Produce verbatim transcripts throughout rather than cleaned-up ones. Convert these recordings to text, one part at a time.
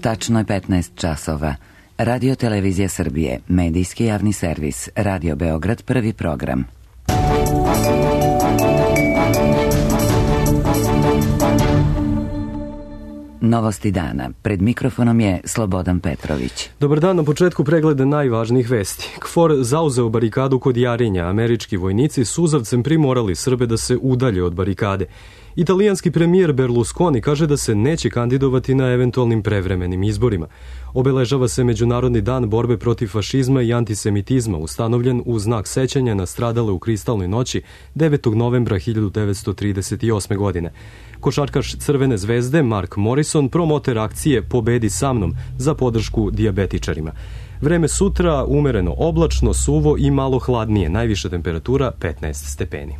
Tačno je petnaest časova. Radio Televizija Srbije, medijski javni servis, Radio Beograd, prvi program. Novosti dana. Pred mikrofonom je Slobodan Petrović. Dobar dan, na početku pregleda najvažnijih vesti. KFOR zauzeo barikadu kod Jarinja. Američki vojnici suzavcem primorali Srbe da se udalje od barikade. Italijanski premijer Berlusconi kaže da se neće kandidovati na eventualnim prevremenim izborima. Obeležava se Međunarodni dan borbe protiv fašizma i antisemitizma, ustanovljen u znak sećanja na stradale u Kristalnoj noći devetog novembra hiljadu devetsto trideset osme. godine. Košarkaš Crvene zvezde Mark Morrison promoter akcije Pobedi sa mnom za podršku dijabetičarima. Vreme sutra umereno oblačno, suvo i malo hladnije, najviša temperatura petnaest stepeni.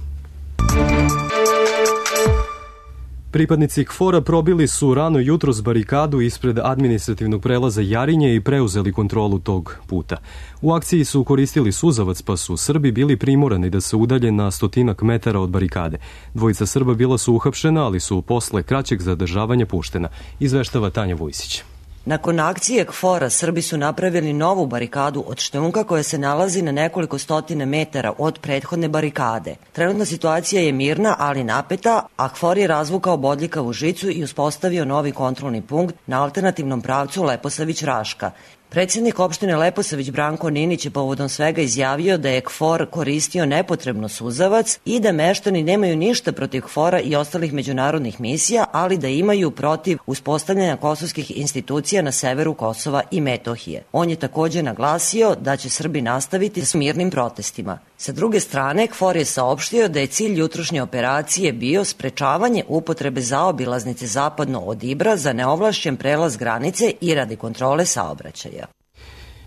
Pripadnici KFOR-a probili su rano jutros barikadu ispred administrativnog prelaza Jarinje i preuzeli kontrolu tog puta. U akciji su koristili suzavac, pa su Srbi bili primorani da se udalje na stotinak metara od barikade. Dvojica Srba bila su uhapšena, ali su posle kraćeg zadržavanja puštena, izveštava Tanja Vujsić. Nakon akcije KFOR-a Srbi su napravili novu barikadu od šljunka koja se nalazi na nekoliko stotine metara od prethodne barikade. Trenutna situacija je mirna, ali napeta, a KFOR je razvukao bodljikavu žicu i uspostavio novi kontrolni punkt na alternativnom pravcu Leposavić-Raška. Predsjednik opštine Leposavić Branko Ninić je povodom svega izjavio da je KFOR koristio nepotrebno suzavac i da meštani nemaju ništa protiv KFOR-a i ostalih međunarodnih misija, ali da imaju protiv uspostavljanja kosovskih institucija na severu Kosova i Metohije. On je također naglasio da će Srbi nastaviti s mirnim protestima. Sa druge strane, KFOR je saopštio da je cilj jutrošnje operacije bio sprečavanje upotrebe zaobilaznice zapadno od Ibra za neovlašćen prelaz granice i radi kontrole saobraćaja.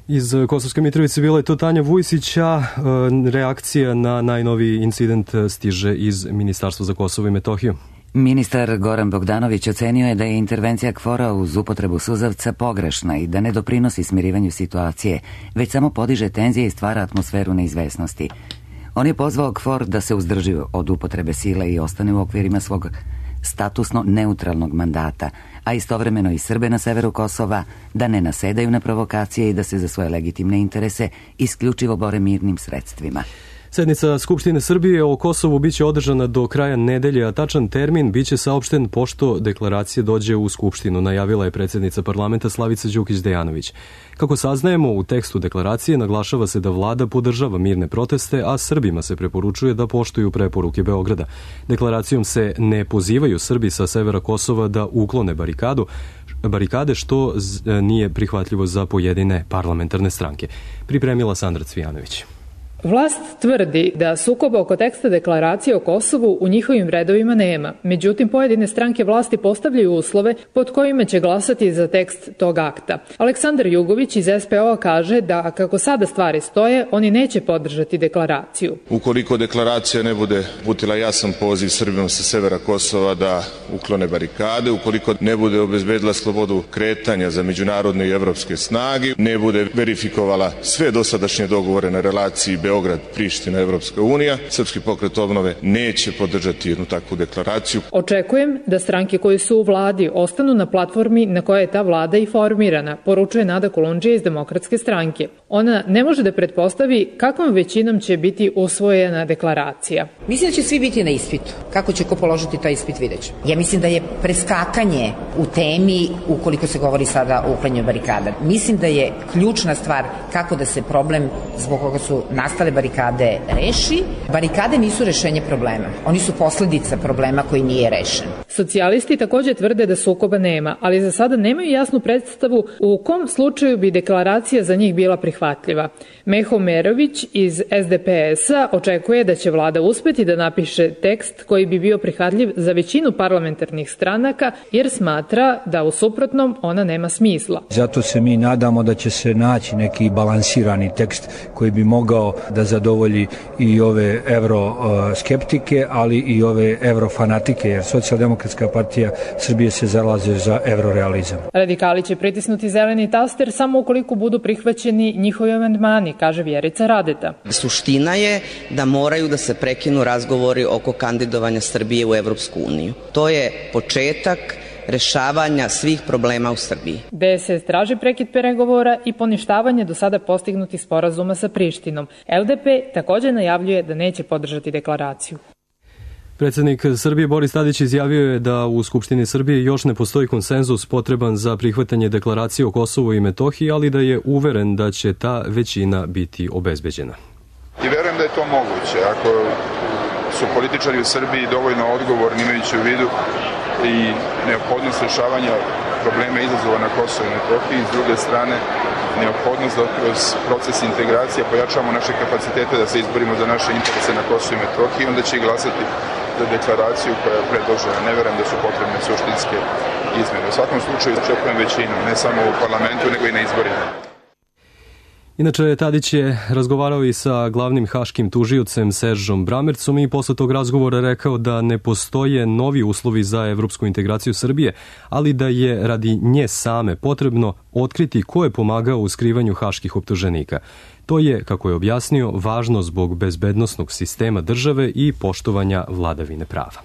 Iz Kosovske Mitrovice bila je to Tanja Vujsić, a reakcija na najnoviji incident stiže iz Ministarstva za Kosovo i Metohiju. Ministar Goran Bogdanović ocenio je da je intervencija KFOR-a uz upotrebu suzavca pogrešna i da ne doprinosi smirivanju situacije, već samo podiže tenzije i stvara atmosferu neizvesnosti. On je pozvao KFOR da se uzdrži od upotrebe sile i ostane u okvirima svog statusno neutralnog mandata, a istovremeno i Srbe na severu Kosova da ne nasedaju na provokacije i da se za svoje legitimne interese isključivo bore mirnim sredstvima. Sednica Skupštine Srbije o Kosovu biće održana do kraja nedelje, a tačan termin biće saopšten pošto deklaracija dođe u Skupštinu, najavila je predsjednica parlamenta Slavica Đukić-Dejanović. Kako saznajemo, u tekstu deklaracije naglašava se da vlada podržava mirne proteste, a Srbima se preporučuje da poštuju preporuke Beograda. Deklaracijom se ne pozivaju Srbi sa severa Kosova da uklone barikadu, barikade, što nije prihvatljivo za pojedine parlamentarne stranke. Pripremila Sandra Cvijanović. Vlast tvrdi da sukoba oko teksta deklaracije o Kosovu u njihovim redovima nema. Međutim, pojedine stranke vlasti postavljaju uslove pod kojima će glasati za tekst tog akta. Aleksandar Jugović iz S P O-a kaže da kako sada stvari stoje, oni neće podržati deklaraciju. Ukoliko deklaracija ne bude uputila jasan poziv Srbima sa severa Kosova da uklone barikade, ukoliko ne bude obezbedila slobodu kretanja za međunarodne i evropske snage, ne bude verifikovala sve dosadašnje dogovore na relaciji Beograd, Priština, Evropska unija, Srpski pokret obnove neće podržati jednu takvu deklaraciju. Očekujem da stranke koje su u vladi ostanu na platformi na kojoj je ta vlada i formirana, poručuje Nada Kolundžija iz Demokratske stranke. Ona ne može da pretpostavi kakvom većinom će biti usvojena deklaracija. Mislim da će svi biti na ispitu. Kako će ko položiti taj ispit, vidjet ćemo. Ja mislim da je preskakanje u temi ukoliko se govori sada o uklanjanju barikada. Mislim da je ključna stvar kako da se problem zbog koga su nastale barikade reši. Barikade nisu rešenje problema. Oni su posledica problema koji nije rešen. Socijalisti također tvrde da sukoba nema, ali za sada nemaju jasnu predstavu u kom slučaju bi deklaracija za njih bila prihvatljiva. Meho Merović iz S D P S-a očekuje da će vlada uspeti da napiše tekst koji bi bio prihvatljiv za većinu parlamentarnih stranaka, jer smatra da u suprotnom ona nema smisla. Zato se mi nadamo da će se naći neki balansirani tekst koji bi mogao da zadovolji i ove euroskeptike, ali i ove eurofanatike, jer Socijaldemokratska partija Srbije se zalaže za eurorealizam. Radikali će pritisnuti zeleni taster samo ukoliko budu prihvaćeni njihovi amandmani, kaže Vjerica Radeta. Suština je da moraju da se prekinu razgovori oko kandidovanja Srbije u Evropsku uniju. To je početak rešavanja svih problema u Srbiji. D S S traži prekid pregovora i poništavanje do sada postignutih sporazuma sa Prištinom. L D P također najavljuje da neće podržati deklaraciju. Predsjednik Srbije Boris Tadić izjavio je da u Skupštini Srbije još ne postoji konsenzus potreban za prihvatanje deklaracije o Kosovu i Metohiji, ali da je uveren da će ta većina biti obezbeđena. I verujem da je to moguće, ako su političari u Srbiji dovoljno odgovorni imajući u vidu i neophodnost rješavanja problema izazova na Kosovu i Metohiji, s druge strane neophodnost da kroz proces integracije pojačamo naše kapacitete da se izborimo za naše interese na Kosovu i Metohiji, onda će i glasati za deklaraciju koja je predložena. Ne verujem da su potrebne suštinske izmjene. U svakom slučaju očekujem većinu, ne samo u parlamentu, nego i na izborima. Inače, Tadić je razgovarao i sa glavnim haškim tužiocem Seržom Bramercom i posle tog razgovora rekao da ne postoje novi uslovi za evropsku integraciju Srbije, ali da je radi nje same potrebno otkriti ko je pomagao u skrivanju haških optuženika. To je, kako je objasnio, važno zbog bezbednosnog sistema države i poštovanja vladavine prava.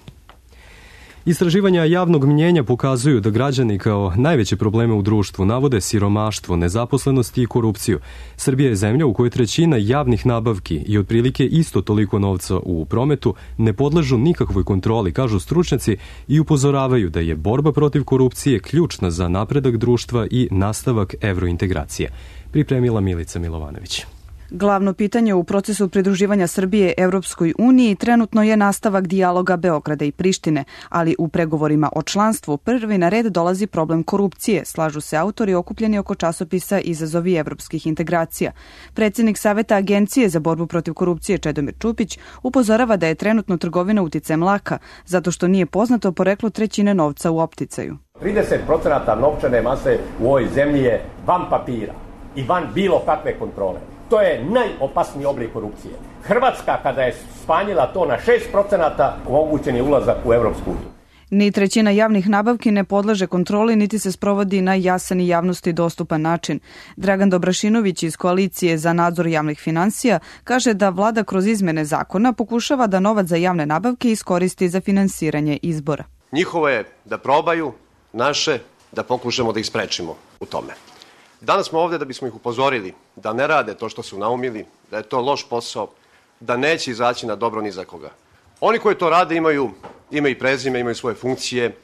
Istraživanja javnog mnjenja pokazuju da građani kao najveće probleme u društvu navode siromaštvo, nezaposlenost i korupciju. Srbija je zemlja u kojoj trećina javnih nabavki i otprilike isto toliko novca u prometu ne podležu nikakvoj kontroli, kažu stručnjaci, i upozoravaju da je borba protiv korupcije ključna za napredak društva i nastavak evrointegracije. Pripremila Milica Milovanović. Glavno pitanje u procesu pridruživanja Srbije Evropskoj uniji trenutno je nastavak dijaloga Beograda i Prištine, ali u pregovorima o članstvu prvi na red dolazi problem korupcije, slažu se autori okupljeni oko časopisa Izazovi evropskih integracija. Predsjednik Saveta Agencije za borbu protiv korupcije Čedomir Čupić upozorava da je trenutno trgovina uticajem laka, zato što nije poznato poreklo trećine novca u opticaju. trideset procenata novčane mase u ovoj zemlji je van papira i van bilo kakve kontrole. To je najopasniji oblik korupcije. Hrvatska, kada je smanjila to na šest procenata, omogućen je ulazak u Evropsku uniju. Ni trećina javnih nabavki ne podleže kontroli, niti se sprovodi na jasan i javnosti dostupan način. Dragan Dobrašinović iz Koalicije za nadzor javnih finansija kaže da vlada kroz izmene zakona pokušava da novac za javne nabavke iskoristi za finansiranje izbora. Njihovo je da probaju, naše da pokušamo da ih sprečimo u tome. Danas smo ovdje da bismo ih upozorili da ne rade to što su naumili, da je to loš posao, da neće izaći na dobro ni za koga. Oni koji to rade imaju ime i prezime, imaju svoje funkcije,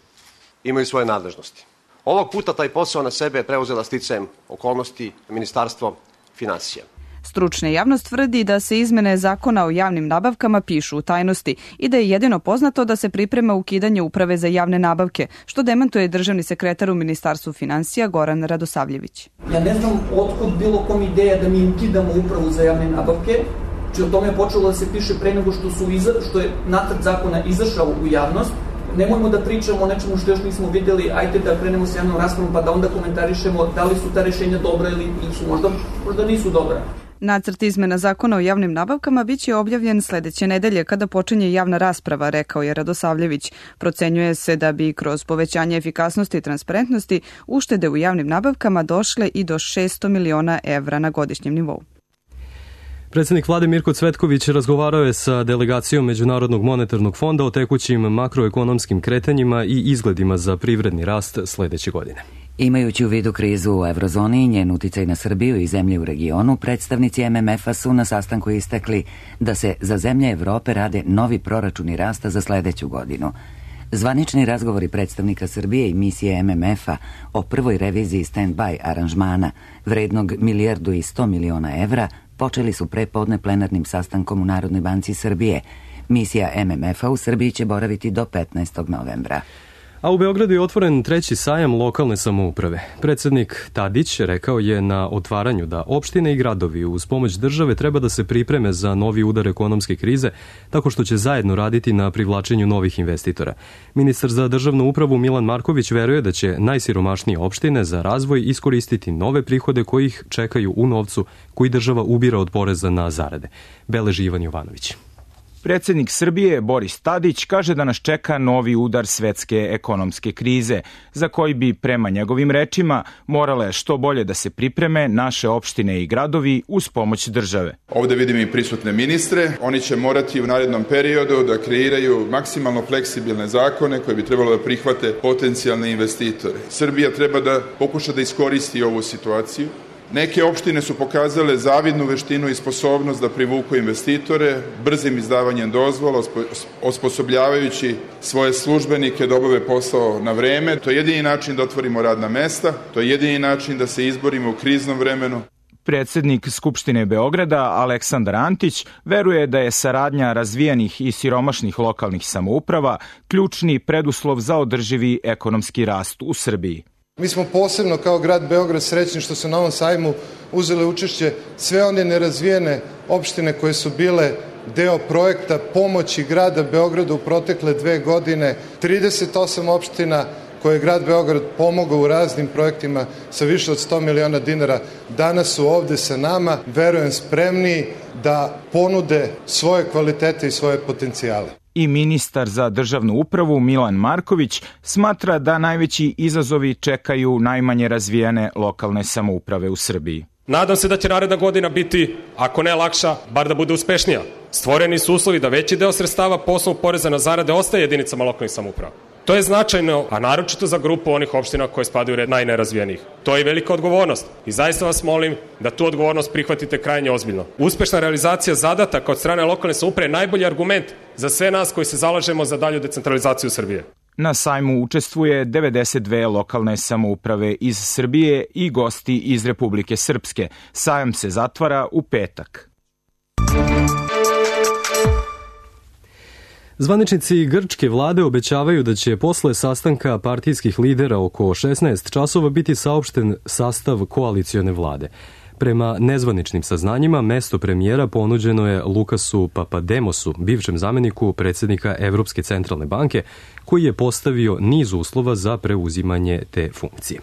imaju svoje nadležnosti. Ovog puta taj posao na sebe je preuzela sticajem okolnosti Ministarstvo finansija. Stručna javnost tvrdi da se izmene zakona o javnim nabavkama pišu u tajnosti i da je jedino poznato da se priprema ukidanje uprave za javne nabavke, što demantuje državni sekretar u Ministarstvu finansija Goran Radosavljević. Ja ne znam otkud bilo kom ideja da mi ukidamo upravu za javne nabavke, či o tome je počelo da se piše pre nego što, su iza, što je nacrt zakona izašao u javnost. Nemojmo da pričamo o nečemu što još nismo vidjeli, ajde da krenemo s javnom raspravom pa da onda komentarišemo da li su ta rešenja dobra ili su možda, možda nisu dobra. Nacrt izmena zakona o javnim nabavkama biće objavljen sledeće nedelje kada počinje javna rasprava, rekao je Radosavljević. Procenjuje se da bi kroz povećanje efikasnosti i transparentnosti uštede u javnim nabavkama došle i do šesto miliona evra na godišnjem nivou. Predsjednik vlade Mirko Cvetković razgovarao je sa delegacijom Međunarodnog monetarnog fonda o tekućim makroekonomskim kretanjima i izgledima za privredni rast sledeće godine. Imajući u vidu krizu u eurozoni i njen uticaj na Srbiju i zemlje u regionu, predstavnici M M F-a su na sastanku istakli da se za zemlje Evrope rade novi proračuni rasta za sledeću godinu. Zvanični razgovori predstavnika Srbije i misije M M F-a o prvoj reviziji stand-by aranžmana vrednog milijardu i sto miliona evra počeli su prepodne plenarnim sastankom u Narodnoj banci Srbije. Misija M M F-a u Srbiji će boraviti do petnaestog novembra. A u Beogradu je otvoren treći sajam lokalne samouprave. Predsjednik Tadić rekao je na otvaranju da opštine i gradovi uz pomoć države treba da se pripreme za novi udar ekonomske krize, tako što će zajedno raditi na privlačenju novih investitora. Ministar za državnu upravu Milan Marković veruje da će najsiromašnije opštine za razvoj iskoristiti nove prihode koji ih čekaju u novcu koji država ubira od poreza na zarade. Beleži Ivan Jovanović. Predsednik Srbije Boris Tadić kaže da nas čeka novi udar svetske ekonomske krize, za koji bi, prema njegovim rečima, morale što bolje da se pripreme naše opštine i gradovi uz pomoć države. Ovde vidim i prisutne ministre. Oni će morati u narednom periodu da kreiraju maksimalno fleksibilne zakone koje bi trebalo da prihvate potencijalne investitore. Srbija treba da pokuša da iskoristi ovu situaciju. Neke opštine su pokazale zavidnu veštinu i sposobnost da privuku investitore, brzim izdavanjem dozvola, osposobljavajući svoje službenike da obave posao na vreme. To je jedini način da otvorimo radna mesta, to je jedini način da se izborimo u kriznom vremenu. Predsednik Skupštine Beograda Aleksandar Antić veruje da je saradnja razvijenih i siromašnih lokalnih samouprava ključni preduslov za održivi ekonomski rast u Srbiji. Mi smo posebno kao grad Beograd srećni što su na ovom sajmu uzele učešće sve one nerazvijene opštine koje su bile deo projekta pomoći grada Beograda u protekle dve godine. trideset osam opština koje je grad Beograd pomogao u raznim projektima sa više od sto miliona dinara, danas su ovde sa nama, verujem spremni da ponude svoje kvalitete i svoje potencijale. I ministar za državnu upravu Milan Marković smatra da najveći izazovi čekaju najmanje razvijene lokalne samouprave u Srbiji. Nadam se da će naredna godina biti, ako ne lakša, bar da bude uspešnija. Stvoreni su uslovi da veći deo sredstava po osnovu poreza na zarade ostaje jedinicama lokalnih samouprava. To je značajno, a naročito za grupu onih opština koje spadaju u red najnerazvijenijih. To je velika odgovornost i zaista vas molim da tu odgovornost prihvatite krajnje ozbiljno. Uspešna realizacija zadataka od strane lokalne samouprave je najbolji argument za sve nas koji se zalažemo za dalju decentralizaciju Srbije. Na sajmu učestvuje devedeset dve lokalne samouprave iz Srbije i gosti iz Republike Srpske. Sajam se zatvara u petak. Zvaničnici grčke vlade obećavaju da će posle sastanka partijskih lidera oko šesnaest časova biti saopšten sastav koalicione vlade. Prema nezvaničnim saznanjima, mesto premijera ponuđeno je Lukasu Papademosu, bivšem zameniku predsednika Evropske centralne banke, koji je postavio niz uslova za preuzimanje te funkcije.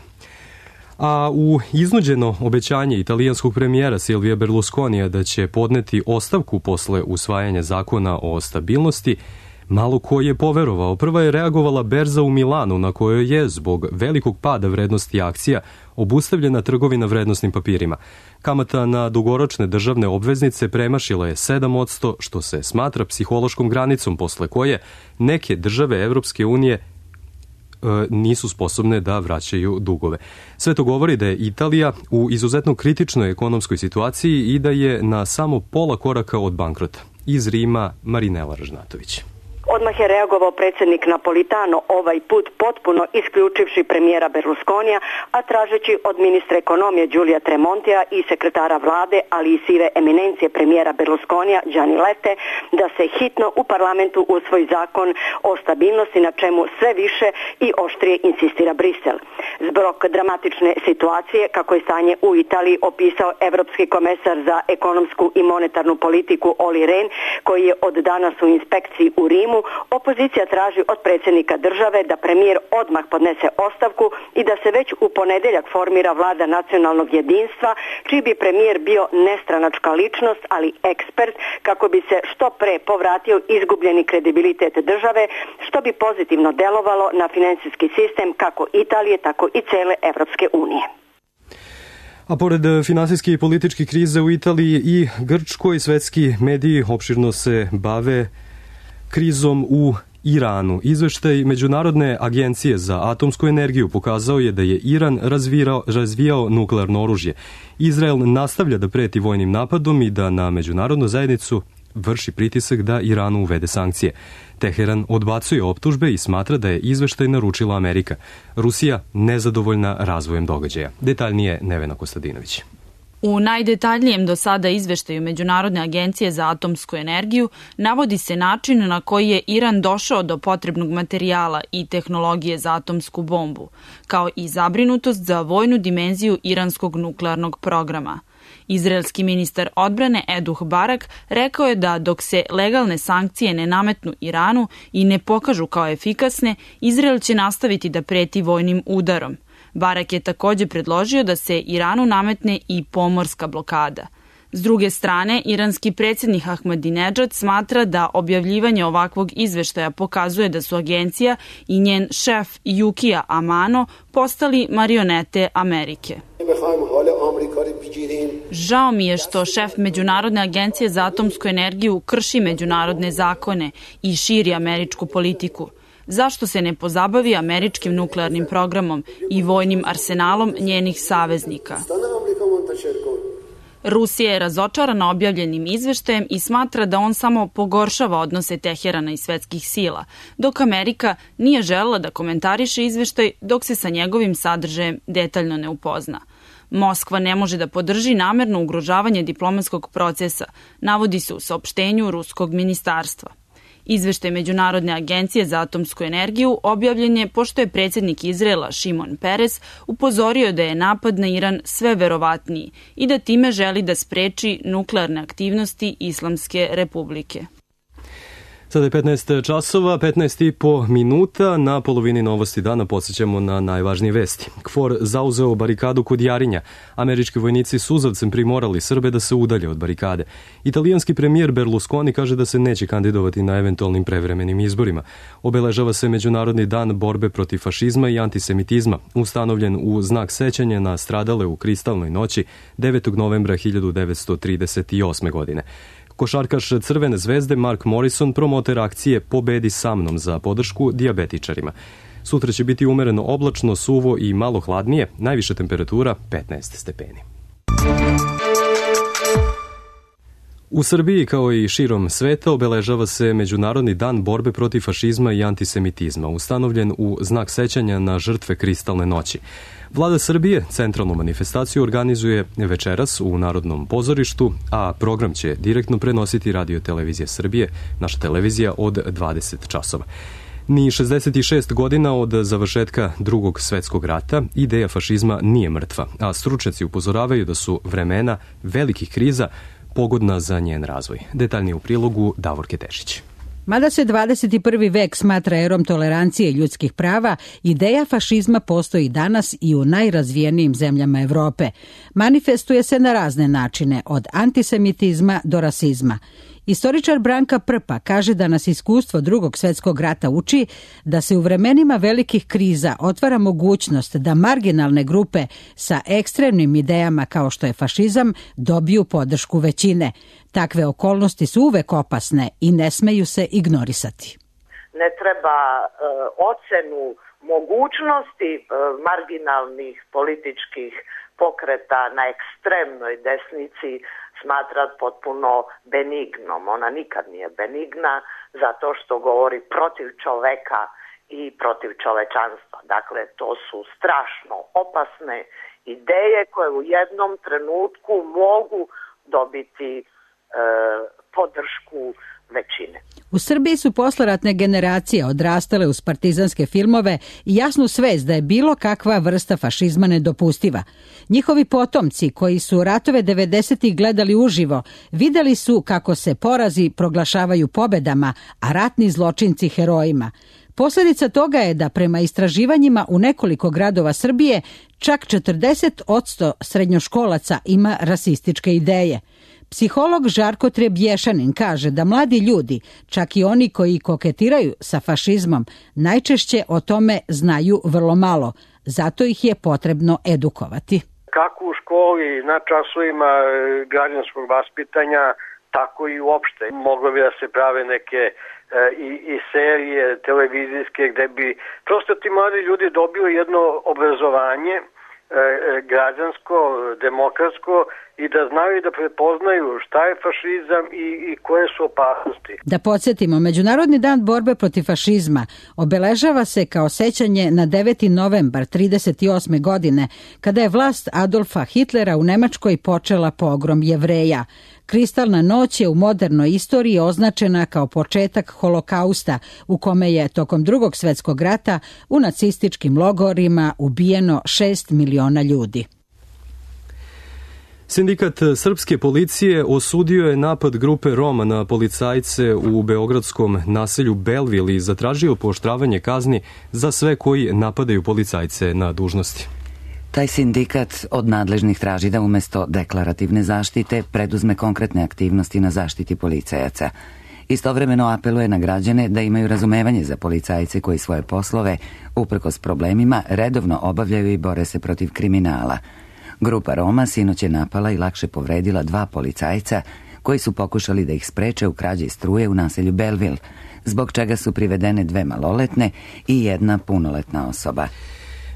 A u iznuđeno obećanje italijanskog premijera Silvija Berlusconija da će podneti ostavku posle usvajanja zakona o stabilnosti, malo ko je poverovao. Prva je reagovala berza u Milanu, na kojoj je, zbog velikog pada vrednosti akcija, obustavljena trgovina vrednosnim papirima. Kamata na dugoročne državne obveznice premašila je sedam posto, što se smatra psihološkom granicom posle koje neke države Evropske unije nisu sposobne da vraćaju dugove. Sve to govori da je Italija u izuzetno kritičnoj ekonomskoj situaciji i da je na samo pola koraka od bankrota. Iz Rima, Marinela Ražnatović. Odmah je reagovao predsednik Napolitano, ovaj put potpuno isključivši premijera Berlusconija, a tražeći od ministra ekonomije Giulia Tremontija i sekretara vlade, ali i sive eminencije premijera Berlusconija Gianni Lette, da se hitno u parlamentu usvoji zakon o stabilnosti, na čemu sve više i oštrije insistira Brisel. Zbog dramatične situacije, kako je stanje u Italiji opisao evropski komesar za ekonomsku i monetarnu politiku Olli Rehn, koji je od danas u inspekciji u Rimu, opozicija traži od predsjednika države da premijer odmah podnese ostavku i da se već u ponedeljak formira vlada nacionalnog jedinstva, čiji bi premijer bio nestranačka ličnost, ali ekspert, kako bi se što pre povratio izgubljeni kredibilitet države, što bi pozitivno delovalo na finansijski sistem kako Italije, tako i cele Evropske unije. A pored finansijske i političke krize u Italiji i Grčkoj, svetski mediji opširno se bave krizom u Iranu. Izveštaj Međunarodne agencije za atomsku energiju pokazao je da je Iran razvirao, razvijao nuklearno oružje. Izrael nastavlja da preti vojnim napadom i da na međunarodnu zajednicu vrši pritisak da Iranu uvede sankcije. Teheran odbacuje optužbe i smatra da je izveštaj naručila Amerika. Rusija nezadovoljna razvojem događaja. Detaljnije Nevena Kostadinović. U najdetaljnijem do sada izveštaju Međunarodne agencije za atomsku energiju navodi se način na koji je Iran došao do potrebnog materijala i tehnologije za atomsku bombu, kao i zabrinutost za vojnu dimenziju iranskog nuklearnog programa. Izraelski ministar odbrane Eduh Barak rekao je da dok se legalne sankcije ne nametnu Iranu i ne pokažu kao efikasne, Izrael će nastaviti da preti vojnim udarom. Barak je takođe predložio da se Iranu nametne i pomorska blokada. S druge strane, iranski predsjednik Ahmadinejad smatra da objavljivanje ovakvog izveštaja pokazuje da su agencija i njen šef Yukija Amano postali marionete Amerike. Žao mi je što šef Međunarodne agencije za atomsku energiju krši međunarodne zakone i širi američku politiku. Zašto se ne pozabavi američkim nuklearnim programom i vojnim arsenalom njenih saveznika? Rusija je razočarana objavljenim izveštajem i smatra da on samo pogoršava odnose Teherana i svetskih sila, dok Amerika nije želela da komentariše izveštaj dok se sa njegovim sadržajem detaljno ne upozna. Moskva ne može da podrži namerno ugrožavanje diplomatskog procesa, navodi se u saopštenju ruskog ministarstva. Izveštaj Međunarodne agencije za atomsku energiju objavljen je pošto je predsjednik Izraela Šimon Peres upozorio da je napad na Iran sve verovatniji i da time želi da spreči nuklearne aktivnosti Islamske republike. Sada je petnaest časova, petnaest i po minuta. Na polovini Novosti dana podsjećamo na najvažnije vesti. KFOR zauzeo barikadu kod Jarinja. Američki vojnici suzavcem primorali Srbe da se udalje od barikade. Italijanski premijer Berlusconi kaže da se neće kandidovati na eventualnim prevremenim izborima. Obeležava se Međunarodni dan borbe protiv fašizma i antisemitizma, ustanovljen u znak sećanja na stradale u Kristalnoj noći devetog novembra hiljadu devetsto trideset osme. godine. Košarkaš Crvene zvezde Mark Morrison promoter akcije Pobedi sa mnom za podršku dijabetičarima. Sutra će biti umereno oblačno, suvo i malo hladnije, najviša temperatura petnaest stepeni. U Srbiji, kao i širom sveta, obeležava se Međunarodni dan borbe protiv fašizma i antisemitizma, ustanovljen u znak sećanja na žrtve Kristalne noći. Vlada Srbije centralnu manifestaciju organizuje večeras u Narodnom pozorištu, a program će direktno prenositi Radio televizija Srbije, naša televizija, od dvadeset časova. Ni šezdeset šest godina od završetka Drugog svetskog rata ideja fašizma nije mrtva, a stručnjaci upozoravaju da su vremena velikih kriza pogodna za njen razvoj. Detaljnije u prilogu Davorke Tešić. Mada se dvadeset prvi vek smatra erom tolerancije i ljudskih prava, ideja fašizma postoji danas i u najrazvijenijim zemljama Evrope. Manifestuje se na razne načine, od antisemitizma do rasizma. Istoričar Branka Prpa kaže da nas iskustvo Drugog svetskog rata uči da se u vremenima velikih kriza otvara mogućnost da marginalne grupe sa ekstremnim idejama kao što je fašizam dobiju podršku većine. Takve okolnosti su uvek opasne i ne smeju se ignorisati. Ne treba e, ocenu mogućnosti e, marginalnih političkih pokreta na ekstremnoj desnici smatrat potpuno benignom. Ona nikad nije benigna zato što govori protiv čoveka i protiv čovečanstva. Dakle, to su strašno opasne ideje koje u jednom trenutku mogu dobiti e, podršku većine. U Srbiji su posleratne generacije odrastale uz partizanske filmove i jasnu svest da je bilo kakva vrsta fašizma nedopustiva. Njihovi potomci, koji su ratove devedesetih gledali uživo, videli su kako se porazi proglašavaju pobedama, a ratni zločinci herojima. Posljedica toga je da prema istraživanjima u nekoliko gradova Srbije čak četrdeset posto srednjoškolaca ima rasističke ideje. Psiholog Žarko Trebješanin kaže da mladi ljudi, čak i oni koji koketiraju sa fašizmom, najčešće o tome znaju vrlo malo. Zato ih je potrebno edukovati. Kako u školi, na časovima građanskog vaspitanja, tako i uopšte. Moglo bi da se prave neke e, i, i serije televizijske gde bi prosto ti mladi ljudi dobili jedno obrazovanje e, građansko, demokratsko, i da znaju da prepoznaju šta je fašizam i, i koje su opasnosti. Da podsjetimo, Međunarodni dan borbe protiv fašizma obeležava se kao sećanje na deveti novembar trideset osme. godine, kada je vlast Adolfa Hitlera u Nemačkoj počela pogrom Jevreja. Kristalna noć je u modernoj istoriji označena kao početak holokausta, u kome je tokom Drugog svetskog rata u nacističkim logorima ubijeno šest miliona ljudi. Sindikat srpske policije osudio je napad grupe Roma na policajce u beogradskom naselju Belville i zatražio pooštravanje kazni za sve koji napadaju policajce na dužnosti. Taj sindikat od nadležnih traži da umesto deklarativne zaštite preduzme konkretne aktivnosti na zaštiti policajaca. Istovremeno apeluje na građane da imaju razumevanje za policajce koji svoje poslove, uprkos problemima, redovno obavljaju i bore se protiv kriminala. Grupa Roma sinoć je napala i lakše povredila dva policajca koji su pokušali da ih spreče u krađi struje u naselju Belleville, zbog čega su privedene dve maloletne i jedna punoletna osoba.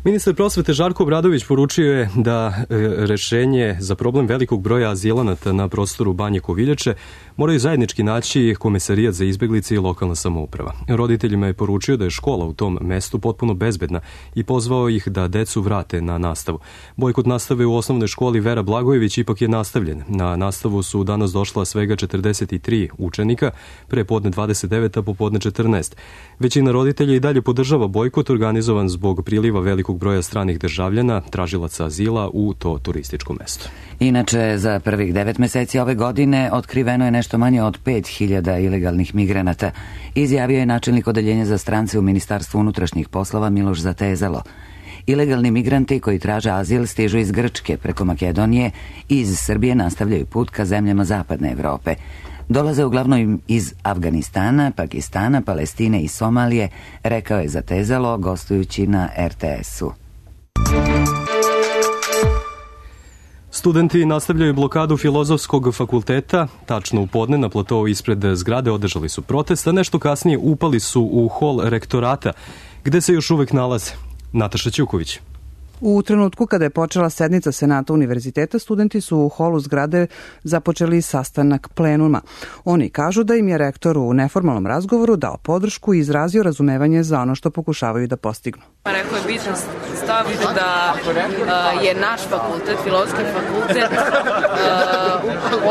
Ministar prosvete Žarko Obradović poručio je da e, rešenje za problem velikog broja azilanata na prostoru Banje Koviljače moraju zajednički naći Komesarijat za izbeglice i lokalna samouprava. Roditeljima je poručio da je škola u tom mestu potpuno bezbedna i pozvao ih da decu vrate na nastavu. Bojkot nastave u osnovnoj školi Vera Blagojević ipak je nastavljen. Na nastavu su danas došla svega četrdeset tri učenika, pre podne dvadeset devet, a popodne četrnaest. Većina roditelja i dalje podržava bojkot organizovan zbog priliva velikog broja stranih državljana, tražilaca azila u to turističko mesto. Inače, za prvih devet meseci ove godine otkriveno je nešto manje od pet hiljada ilegalnih migranata, izjavio je načelnik odeljenja za strance u Ministarstvu unutrašnjih poslova Miloš Zatezalo. Ilegalni migranti koji traže azil stižu iz Grčke preko Makedonije i iz Srbije nastavljaju put ka zemljama zapadne Evrope. Dolaze uglavnom iz Afganistana, Pakistana, Palestine i Somalije, rekao je Zatezalo gostujući na er te esu. Studenti nastavljaju blokadu Filozofskog fakulteta. Tačno u podne na platovu ispred zgrade održali su protest, a nešto kasnije upali su u hol rektorata, gde se još uvek nalaze. Nataša Ćuković. U trenutku kada je počela sednica Senata univerziteta, studenti su u holu zgrade započeli sastanak plenuma. Oni kažu da im je rektor u neformalnom razgovoru dao podršku i izrazio razumevanje za ono što pokušavaju da postignu. Rekao je bitan stav da uh, je naš fakultet, Filozofski fakultet, uh,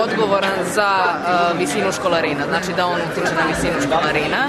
odgovoran za uh, visinu školarina, znači da on utiče na visinu školarina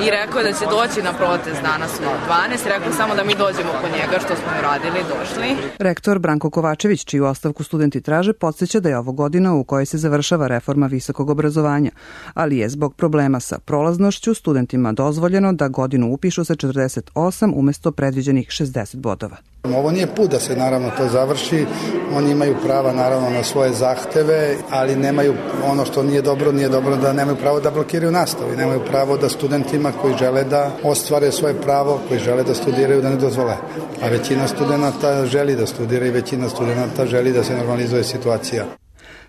i rekao je da će doći na protest danas u dvanaest, rekao samo da mi dođemo po njega, što smo uradili. Došli. Rektor Branko Kovačević, čiju ostavku studenti traže, podsjeća da je ovo godina u kojoj se završava reforma visokog obrazovanja, ali je zbog problema sa prolaznošću studentima dozvoljeno da godinu upišu sa četrdeset osam umesto predviđenih šezdeset bodova. Ovo nije put da se naravno to završi, oni imaju prava naravno na svoje zahteve, ali nemaju ono što nije dobro, nije dobro da nemaju pravo da blokiraju nastavu i nemaju pravo da studentima koji žele da ostvare svoje pravo, koji žele da studiraju da ne dozvole. A većina studenata želi da studira i većina studenata želi da se normalizuje situacija.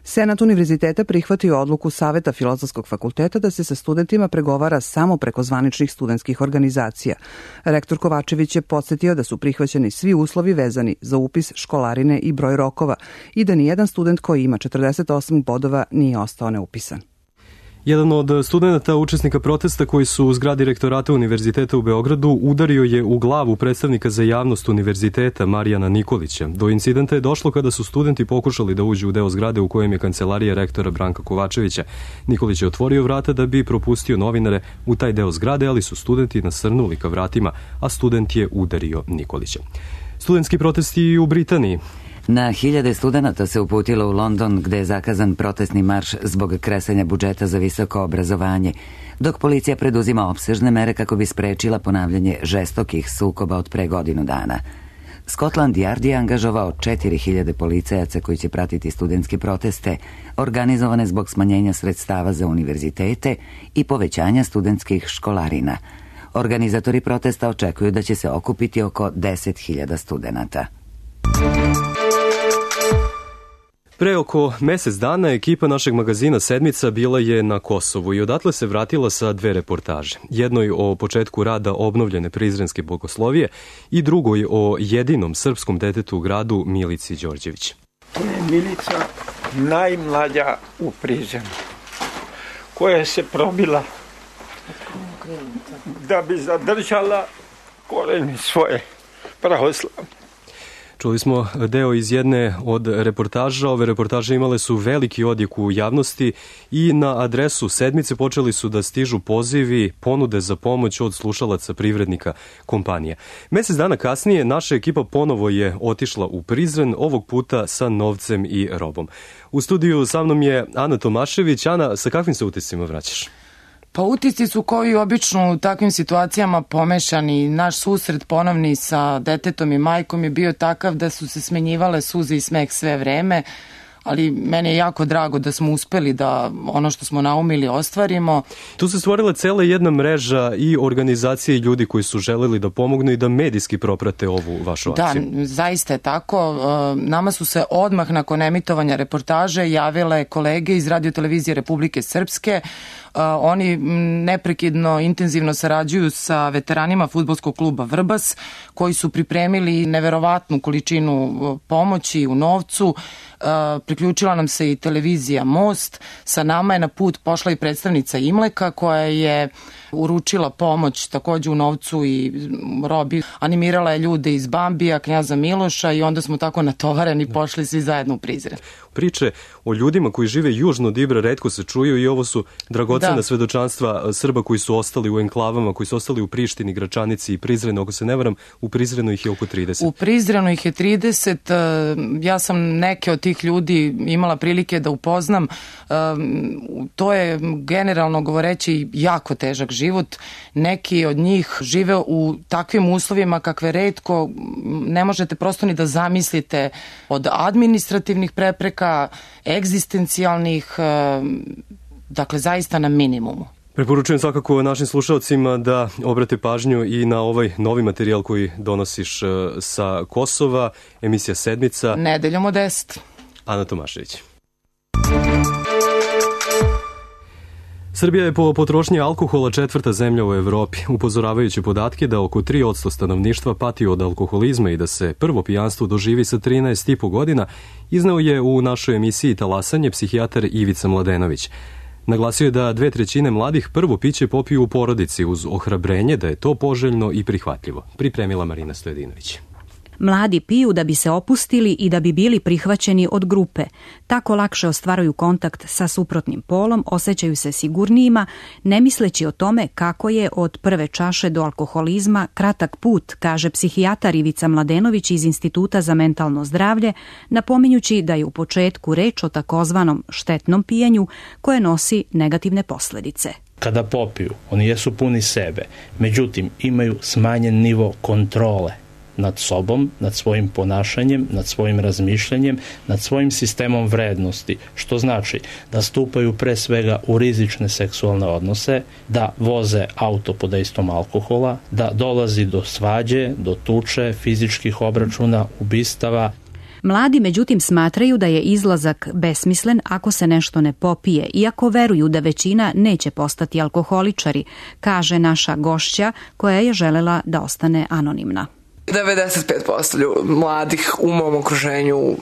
Senat univerziteta prihvatio odluku Saveta Filozofskog fakulteta da se sa studentima pregovara samo preko zvaničnih studentskih organizacija. Rektor Kovačević je podsjetio da su prihvaćeni svi uslovi vezani za upis, školarine i broj rokova i da nijedan student koji ima četrdeset osam bodova nije ostao neupisan. Jedan od studenta učesnika protesta koji su u zgradi rektorata univerziteta u Beogradu udario je u glavu predstavnika za javnost univerziteta Marijana Nikolića. Do incidenta je došlo kada su studenti pokušali da uđu u deo zgrade u kojem je kancelarija rektora Branka Kovačevića. Nikolić je otvorio vrata da bi propustio novinare u taj deo zgrade, ali su studenti nasrnuli ka vratima, a student je udario Nikolića. Studentski protesti u Britaniji. Na hiljade studenata se uputilo u London, gde je zakazan protestni marš zbog kresanja budžeta za visoko obrazovanje, dok policija preduzima opsežne mere kako bi sprečila ponavljanje žestokih sukoba od pre godinu dana. Scotland Yard je angažovao četiri hiljade policajaca koji će pratiti studentske proteste, organizovane zbog smanjenja sredstava za univerzitete i povećanja studentskih školarina. Organizatori protesta očekuju da će se okupiti oko deset hiljada studenata. Pre oko mesec dana ekipa našeg magazina Sedmica bila je na Kosovu i odatle se vratila sa dve reportaže. Jednoj o početku rada obnovljene Prizrenske bogoslovije i drugoj o jedinom srpskom detetu u gradu Milici Đorđević. To je Milica, najmlađa u Prizrenu, koja se probila da bi zadržala koreni svoje pravoslavne. Čuli smo deo iz jedne od reportaža. Ove reportaže imale su veliki odjek u javnosti i na adresu Sedmice počeli su da stižu pozivi, ponude za pomoć od slušalaca privrednika kompanija. Mesec dana kasnije naša ekipa ponovo je otišla u Prizren, ovog puta sa novcem i robom. U studiju sa mnom je Ana Tomašević. Ana, sa kakvim se utiscima vraćaš? Pa utisci su koji obično u takvim situacijama pomešani. Naš susret ponovni sa detetom i majkom je bio takav da su se smenjivale suze i smeh sve vreme, ali meni je jako drago da smo uspeli da ono što smo naumili ostvarimo. Tu se stvorila cela jedna mreža i organizacije i ljudi koji su želeli da pomognu i da medijski proprate ovu vašu akciju. Da, zaista je tako. Nama su se odmah nakon emitovanja reportaže javile kolege iz Radio-televizije Republike Srpske. Oni neprekidno, intenzivno sarađuju sa veteranima fudbalskog kluba Vrbas, koji su pripremili neverovatnu količinu pomoći u novcu. Priključila nam se i televizija Most. Sa nama je na put pošla i predstavnica Imleka koja je uručila pomoć takođe u novcu i robi. Animirala je ljude iz Bambija, Knjaza Miloša i onda smo tako natovareni pošli svi zajedno u Prizren. Priče o ljudima koji žive južno od Ibra retko se čuju i ovo su dragocena da. svedočanstva Srba koji su ostali u enklavama, koji su ostali u Prištini, Gračanici i Prizrenu. Ako se ne varam, u Prizrenu ih je oko trideset. U Prizrenu ih je trideset. Ja sam neke od tih ljudi imala prilike da upoznam. To je generalno govoreći jako težak život. Neki od njih žive u takvim uslovima kakve retko ne možete prosto ni da zamislite, od administrativnih prepreka, egzistencijalnih, dakle zaista na minimumu. Preporučujem svakako našim slušalcima da obrate pažnju i na ovaj novi materijal koji donosiš sa Kosova, emisija Sedmica. Nedeljom od deset. Ana Tomašević. Srbija je po potrošnji alkohola četvrta zemlja u Evropi, upozoravajući podatke da oko tri posto stanovništva pati od alkoholizma i da se prvo pijanstvo doživi sa trinaest i po godina, izneo je u našoj emisiji Talasanje psihijatar Ivica Mladenović. Naglasio je da dve trećine mladih prvo piće popiju u porodici uz ohrabrenje da je to poželjno i prihvatljivo. Pripremila Marina Stojedinović. Mladi piju da bi se opustili i da bi bili prihvaćeni od grupe. Tako lakše ostvaruju kontakt sa suprotnim polom, osjećaju se sigurnijima, ne misleći o tome kako je od prve čaše do alkoholizma kratak put, kaže psihijatar Ivica Mladenović iz Instituta za mentalno zdravlje, napominjući da je u početku reč o takozvanom štetnom pijenju koje nosi negativne posledice. Kada popiju, oni jesu puni sebe, međutim imaju smanjen nivo kontrole nad sobom, nad svojim ponašanjem, nad svojim razmišljanjem, nad svojim sistemom vrednosti, što znači da stupaju pre svega u rizične seksualne odnose, da voze auto pod dejstvom alkohola, da dolazi do svađe, do tuče, fizičkih obračuna, ubistava. Mladi međutim smatraju da je izlazak besmislen ako se nešto ne popije, iako veruju da većina neće postati alkoholičari, kaže naša gošća koja je želela da ostane anonimna. devedeset pet posto mladih u mom okruženju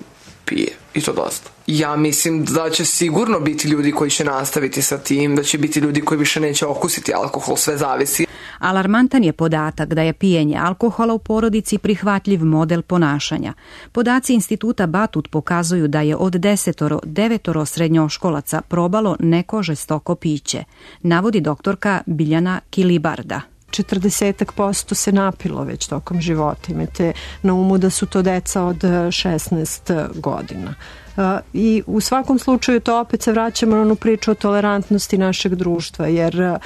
pije i to dosta. Ja mislim da će sigurno biti ljudi koji će nastaviti sa tim, da će biti ljudi koji više neće okusiti alkohol, sve zavisi. Alarmantan je podatak da je pijenje alkohola u porodici prihvatljiv model ponašanja. Podaci Instituta Batut pokazuju da je od desetoro, devetoro srednjoškolaca probalo neko žestoko piće, navodi doktorka Biljana Kilibarda. četrdeset posto se napilo već tokom života. Imate na umu da su to deca od šesnaest godina. I u svakom slučaju to opet se vraćamo na onu priču o tolerantnosti našeg društva, jer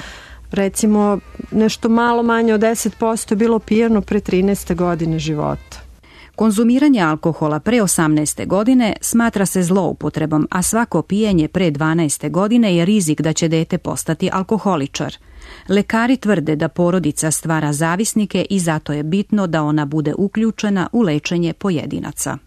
recimo nešto malo manje od deset posto je bilo pijano pre trinaeste godine života. Konzumiranje alkohola pre osamnaeste godine smatra se zloupotrebom, a svako pijenje pre dvanaeste godine je rizik da će dete postati alkoholičar. Lekari tvrde da porodica stvara zavisnike i zato je bitno da ona bude uključena u lečenje pojedinaca.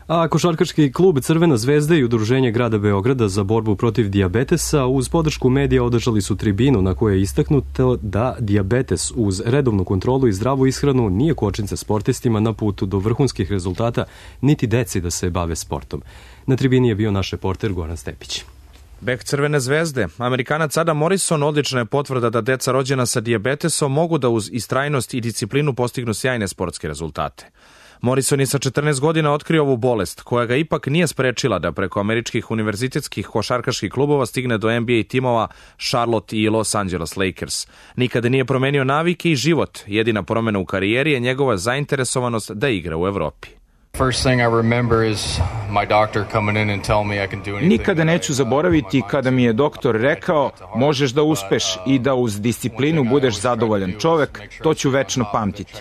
A košarkaški klub Crvena zvezda i Udruženje grada Beograda za borbu protiv dijabetesa uz podršku medija održali su tribinu na kojoj je istaknuto da dijabetes uz redovnu kontrolu i zdravu ishranu nije kočnica sportistima na putu do vrhunskih rezultata, niti deci da se bave sportom. Na tribini je bio naš reporter Goran Stepić. Bek Crvene zvezde, Amerikanac Adam Morrison odlična je potvrda da deca rođena sa dijabetesom mogu da uz istrajnost i disciplinu postignu sjajne sportske rezultate. Morrison je sa četrnaest godina otkrio ovu bolest, koja ga ipak nije sprečila da preko američkih univerzitetskih košarkaških klubova stigne do N B A timova Charlotte i Los Angeles Lakers. Nikada nije promenio navike i život, jedina promena u karijeri je njegova zainteresovanost da igra u Evropi. Nikada neću zaboraviti kada mi je doktor rekao možeš da uspeš i da uz disciplinu budeš zadovoljan čovek, to ću večno pamtiti.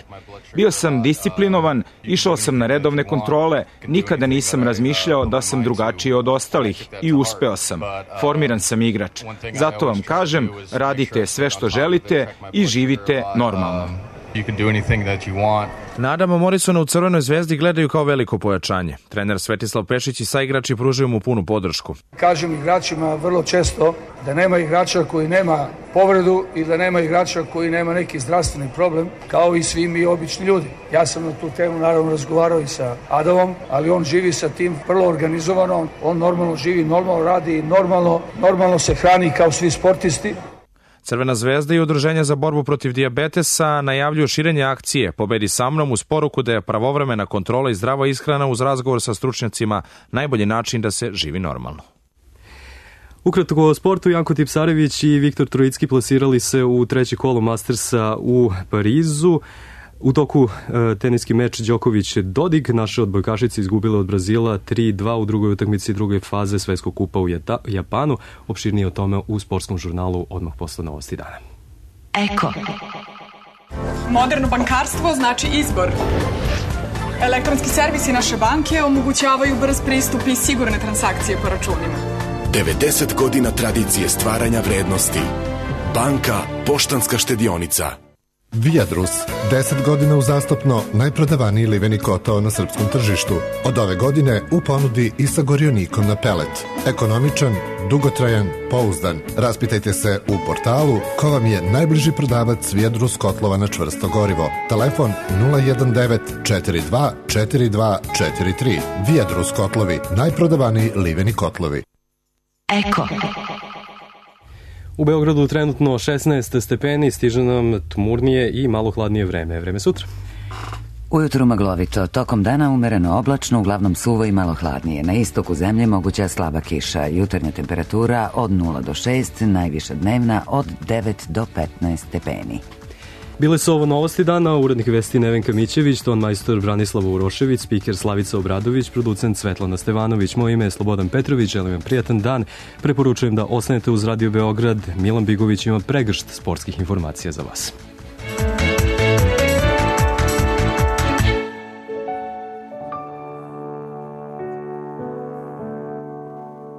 Bio sam disciplinovan, išao sam na redovne kontrole, nikada nisam razmišljao da sam drugačiji od ostalih i uspeo sam. Formiran sam igrač. Zato vam kažem, radite sve što želite i živite normalno. Na Adama Morrisona u Crvenoj zvezdi gledaju kao veliko pojačanje. Trener Svetislav Pešić i saigrači pružaju mu punu podršku. Kažem igračima vrlo često da nema igrača koji nema povredu i da nema igrača koji nema neki zdravstveni problem, kao i svi mi obični ljudi. Ja sam na tu temu naravno razgovarao i sa Adamom, ali on živi sa tim vrlo organizovano, on normalno živi, normalno radi, normalno, normalno se hrani kao svi sportisti. Crvena zvezda i Udruženje za borbu protiv dijabetesa najavljuju širenje akcije Pobedi sa mnom uz poruku da je pravovremena kontrola i zdrava ishrana uz razgovor sa stručnjacima najbolji način da se živi normalno. Ukratko o sportu, Janko Tipsarević i Viktor Trojicki plasirali se u treće kolo Mastersa u Parizu. U toku e, teniski meč Đoković-Dodig, naše odbojkašice izgubile od Brazila tri dva u drugoj utakmici druge faze Svetskog kupa u Jeta, Japanu. Opširnije o tome u sportskom žurnalu odmah posle novosti dana. Eko. Moderno bankarstvo znači izbor. Elektronski servisi naše banke omogućavaju brz pristup i sigurne transakcije po računima. devedeset godina tradicije stvaranja vrednosti. Banka Poštanska štedionica. Viadrus, deset godina uzastopno najprodavaniji liveni kotao na srpskom tržištu. Od ove godine u ponudi i sa gorionikom na pelet. Ekonomičan, dugotrajan, pouzdan. Raspitajte se u portalu ko vam je najbliži prodavac Viadrus kotlova na čvrsto gorivo. Telefon nula jedan devet četiri dva četiri dva četiri tri. Viadrus kotlovi, najprodavaniji liveni kotlovi. Eko. U Beogradu trenutno šesnaest stepeni, stiže nam tmurnije i malo hladnije vreme. Vreme sutra. Ujutru maglovito, tokom dana umereno oblačno, uglavnom suvo i malo hladnije. Na istoku zemlje moguća slaba kiša, jutarnja temperatura od nula do šest, najviša dnevna od devet do petnaest stepeni. Bile su ovo novosti dana, urednik vesti Nevenka Mićević, ton majstor Branislava Urošević, spiker Slavica Obradović, producent Svetlana Stevanović, moje ime je Slobodan Petrović, želim vam prijatan dan, preporučujem da ostanete uz Radio Beograd, Milan Bigović ima pregršt sportskih informacija za vas.